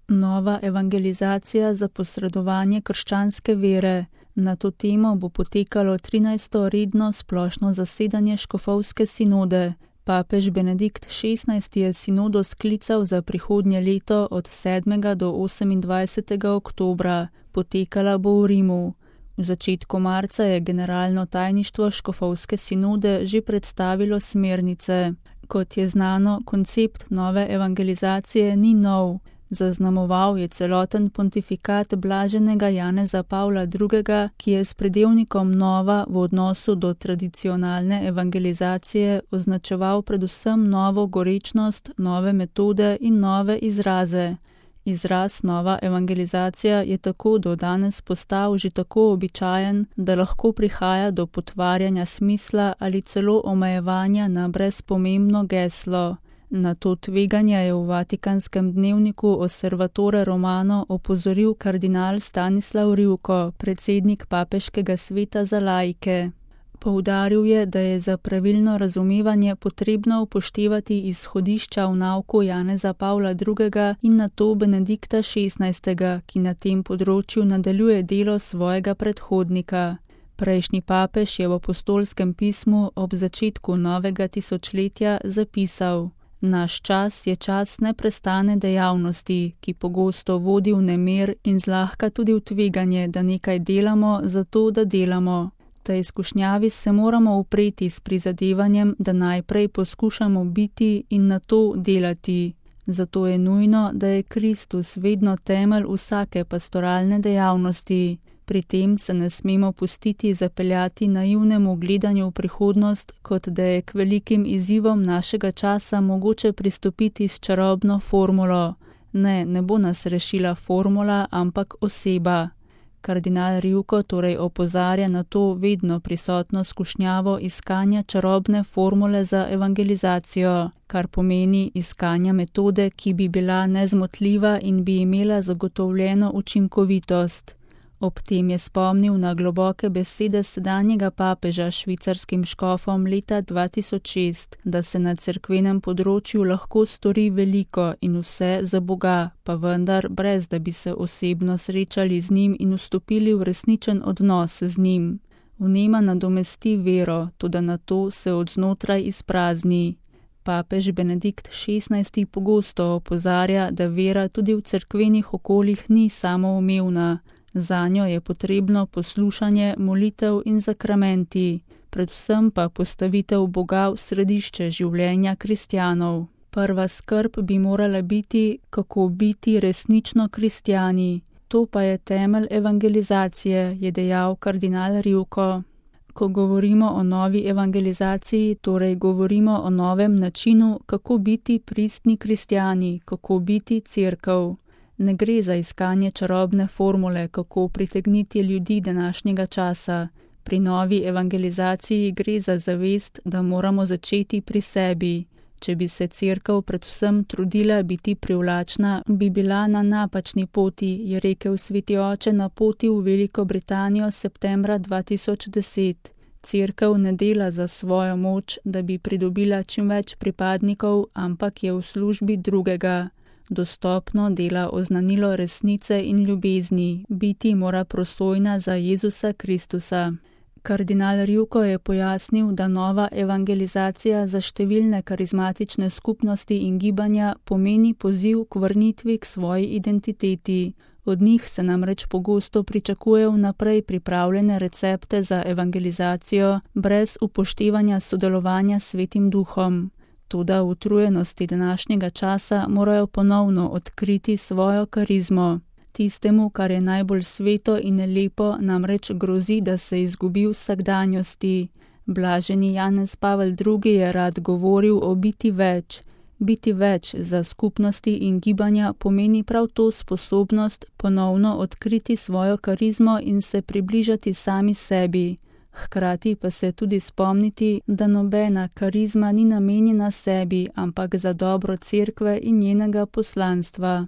Nova evangelizacija za posredovanje krščanske vere. Na to temo bo potekalo 13. redno splošno zasedanje škofovske sinode. Papež Benedikt XVI je sinodo sklical za prihodnje leto od 7. do 28. oktobra. Potekala bo v Rimu. V začetku marca je generalno tajništvo škofovske sinode že predstavilo smernice. Kot je znano, koncept nove evangelizacije ni nov. Zaznamoval je celoten pontifikat blaženega Janeza Pavla II., ki je s pridevnikom nova v odnosu do tradicionalne evangelizacije označeval predvsem novo gorečnost, nove metode in nove izraze. Izraz nova evangelizacija je tako do danes postal že tako običajen, da lahko prihaja do potvarjanja smisla ali celo omejevanja na brezpomembno geslo. Na to tveganje je v Vatikanskem dnevniku Osservatore Romano opozoril kardinal Stanislav Rivko, predsednik Papeškega sveta za laike. Poudaril je, da je za pravilno razumevanje potrebno upoštevati izhodišča v nauku Janeza Pavla II. In nato Benedikta XVI., ki na tem področju nadaljuje delo svojega predhodnika. Prejšnji papež je v apostolskem pismu ob začetku novega tisočletja zapisal: Naš čas je čas neprestane dejavnosti, ki pogosto vodi v nemir in zlahka tudi v tveganje, da nekaj delamo zato, da delamo. Tej izkušnjavi se moramo upreti s prizadevanjem, da najprej poskušamo biti in nato delati. Zato je nujno, da je Kristus vedno temelj vsake pastoralne dejavnosti. Pri tem se ne smemo pustiti zapeljati naivnemu gledanju v prihodnost, kot da je k velikim izzivom našega časa mogoče pristopiti s čarobno formulo. Ne bo nas rešila formula, ampak oseba. Kardinal Rivko torej opozarja na to vedno prisotno skušnjavo iskanja čarobne formule za evangelizacijo, kar pomeni iskanja metode, ki bi bila nezmotljiva in bi imela zagotovljeno učinkovitost. Ob tem je spomnil na globoke besede sedanjega papeža švicarskim škofom leta 2006, da se na cerkvenem področju lahko stori veliko in vse za Boga, pa vendar brez da bi se osebno srečali z njim in vstopili v resničen odnos z njim. Vnema nadomesti vero, toda na to se od znotraj izprazni. Papež Benedikt XVI pogosto opozarja, da vera tudi v cerkvenih okoljih ni samoumevna. Zanjo je potrebno poslušanje, molitev in sakramenti, predvsem pa postavitev Boga v središče življenja kristjanov. Prva skrb bi morala biti, kako biti resnično kristjani. To pa je temelj evangelizacije, je dejal kardinal Rivko. Ko govorimo o novi evangelizaciji, torej govorimo o novem načinu, kako biti pristni kristjani, kako biti cerkev. Ne gre za iskanje čarobne formule, kako pritegniti ljudi današnjega časa. Pri novi evangelizaciji gre za zavest, da moramo začeti pri sebi. Če bi se cerkev predvsem trudila biti privlačna, bi bila na napačni poti, je rekel sveti oče na poti v Veliko Britanijo septembra 2010. Cerkev ne dela za svojo moč, da bi pridobila čim več pripadnikov, ampak je v službi drugega. Dostopno dela oznanilo resnice in ljubezni, biti mora prosojna za Jezusa Kristusa. Kardinal Rivko je pojasnil, da nova evangelizacija za številne karizmatične skupnosti in gibanja pomeni poziv k vrnitvi k svoji identiteti. Od njih se namreč pogosto pričakuje vnaprej pripravljene recepte za evangelizacijo, brez upoštevanja sodelovanja s Svetim Duhom. Toda v utrujenosti današnjega časa morajo ponovno odkriti svojo karizmo. Tistemu, kar je najbolj sveto in lepo, namreč grozi, da se izgubi v vsakdanjosti. Blaženi Janez Pavel II. Je rad govoril o biti več. Biti več za skupnosti in gibanja pomeni prav to sposobnost ponovno odkriti svojo karizmo in se približati sami sebi. Hkrati pa se tudi spomniti, da nobena karizma ni namenjena sebi, ampak za dobro cerkve in njenega poslanstva.